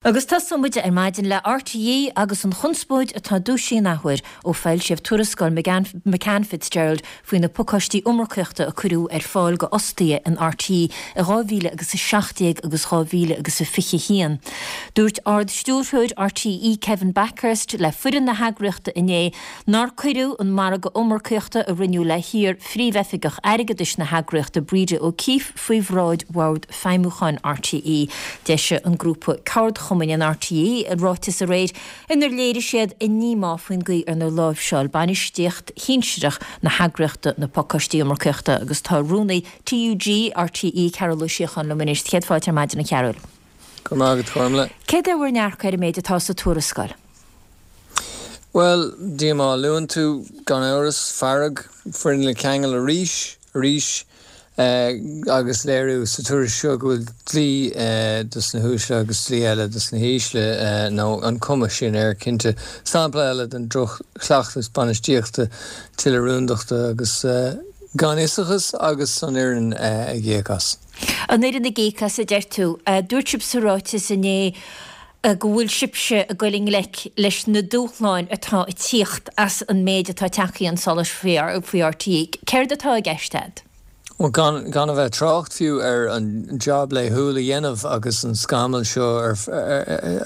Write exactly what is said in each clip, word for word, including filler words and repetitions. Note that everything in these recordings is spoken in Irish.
Agus tosóidh muid ar maidin le RTÉ agus an chonspóid atá dúisithe an athuair ó foilsíodh tuarascáil McCann Fitzgerald faoi na pacáistí iomarcaíochta a cuireadh ar fáil go fhostaithe in RTÉ i dhá mhíle agus a seacht déag agus dhá mhíle agus a fiche haon. Dúirt Ard-Stiúrthóir RTÉ Kevin Bakhurst le foireann na heagraíochta inné nár cuireadh an margadh iomarcaíochta a rinneadh le hiar-Phríomhoifigeach Airgeadais na heagraíochta Breda O'Keeffe faoi bhráid Bhord Feidhmiúcháin RTÉ. D'eisigh an grúpa ceardchumainn in RTÉ ráiteas aréir inar léirigh siad a ndíomá faoin gcaoi arnar láimhseáil bainistíocht shinsearach na heagraíochta na pacáistí iomarcaíochta agus tá rúnaí TUG RTÉ Cearbhall Ó Síocháin liom anois. Céad fáilte ar maidin a Chearbhaill. Go raibh maith agat Gormlaith. Céard é bhur ndearcadh ar an méid atá sa tuarascáil? Bhuel, díomá a luann tú, gan amhras, fearg, foireann le ceangal arís, arís, agus léiriú sa tuairisc seo go bhfuil dlí dos na huaisle agus dlí eile dos na hísle, nó an cuma sin air, cinnte. Sampla eile den droch-chleachtas bainistíochta, tuilleadh rúndachta agus ganfhiosachas agus an fhoireann ag íoc as. An fhoireann ag íoc as, a deir tú. Dúirt sibh sa ráiteas inné go bhfuil sibhse ag goil i ngleic leis na dúshláin atá ag tíocht as an méid atá tagtha chun solais faoi RTÉ. Céard atá i gceist agat? Bhuel, gan, gan a bheith ag trácht fiú ar an jab laethúil a dhéanamh agus an scamall seo ar,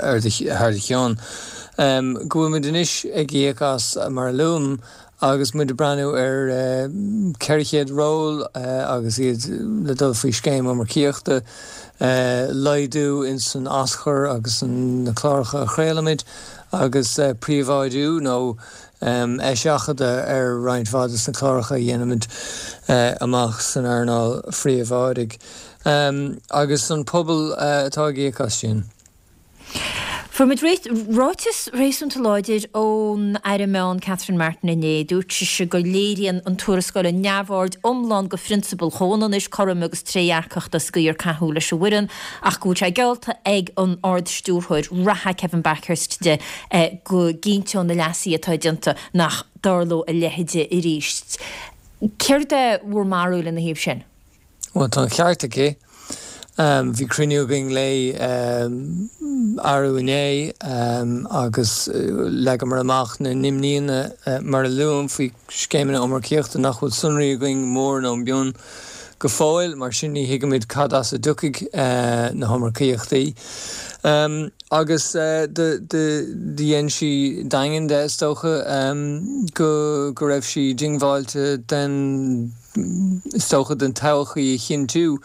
ar, do, thar do cheann, go bhfuil muid anois ag íoc as, mar a luaim, Agus muid ag breathnú ar ceithre chéad ról agus iad le dul faoi scéim iomarcaíochta, laghdú ins an aschur agus na cláracha a chraolaimid agus príobháidiú nó eiseachadadh ar roinnt mhaith des na cláracha a dhéanaimid amach san earnáil phríobháidigh. Agus an pobal atá ag íoc as sin. Fuair muid ráiteas réasúnta láidir ón Aire Meán Catherine Martin inné. Dúirt sise go léiríonn an tuarascáil an neamhaird iomlán go phrionsabail chomhionannais, cothroime agus trédhearcachta sa gcaoi ar caitheadh leis an bhfoireann ach go bhfuil sé geallta ag an Ard-Stiúrthóir reatha Kevin Bakhurst di go gcinnteoidh na leasuithe atá déanta nach dtarlóidh a leithéid arís. Céard é bhur mbarúil ina thaobh sin? Bhuel, tá an ceart aici. Bhí cruinniú againn léi arú inné agus leagamar amach na n-imníonna, mar a luaim, faoi scéimeanna iomarcaíochta nach bhfuil sonraí againn mór nó mion go fóill, mar sin ní thuigimid cad as a dtiocfaidh na hiomarcaíochtaí. Agus do dhein sí daingean de, is dócha, go raibh sí diongbháilte den, is dócha, den todhchaí a chinntiú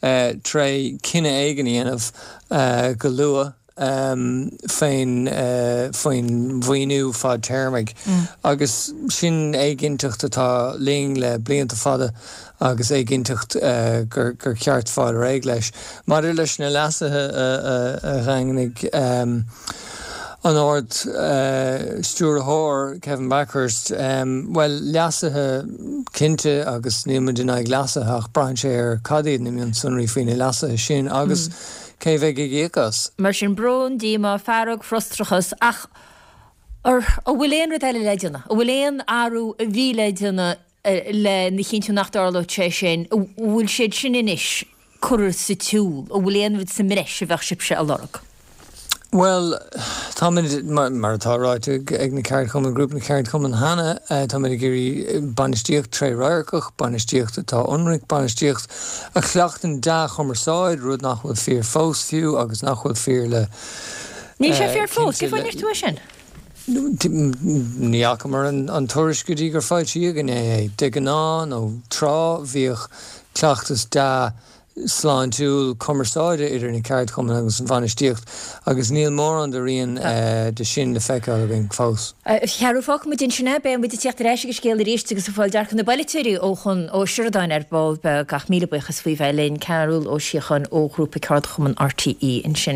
tré cinneadh éigin a dhéanamh go luath faoin faoin mhaoiniú fadtéarmaigh. Agus sin éiginnteacht atá linn le blianta fada agus éiginnteacht gur gur cheart fáil réidh leis. Maidir leis na leasuithe a dhaingnigh an Ard Stiúrthóir, Kevin Bakhurst, bhuel, leasuithe cinnte agus níl muid in aghaidh leasuithe ach braitheann sé ar cad iad na mionsonraí faoi na leasuithe sin agus cé bheidh ag íoc as. Mar sin, brón, díomá, fearg, frustrachas ach an bhfuil aon rud eile le déanamh? An bhfuil aon athrú a bhí le déanamh lena chinntiú nach dtarlódh sé sin? An bhfuil siad sin anois curtha sa tsiúl? An bhfuil aon rud sa mbreis a bheadh sibhse a lorg? Bhuel, táimid, mar atá ráite ag na ceardchumainn, Grúpa na Ceardchumann cheana, táimid ag iarraidh bainistíocht trédhearcach, bainistíocht atá ionraic, bainistíocht a chleachtann dea-chumarsáid, rud nach bhfuil fíor fós fiú agus nach bhfuil fíor le Níl sé fíor fós, cén fáth a ndeir tú é sin? Ní fhacamar an tuairisc go dtí gur foilsíodh inné é. De ghnáth, nó tráth, bhíodh cleachtas dea sláintiúil cumarsáide idir na ceardchumainn agus an bhainistíocht agus níl mórán de rian de sin le feiceáil againn fós. A Chearbhaill, fágfaidh muid ansin é. Beidh muid ag tíocht ar ais ag an scéal arís agus ag fáil dearcadh na bpolaiteoirí ó Chon Ó Seireadáin ar ball beag ach míle buíochas faoi bheith linn. Cearbhall Ó Síocháin ó Ghrúpa Ceardchumann RTÉ ansin.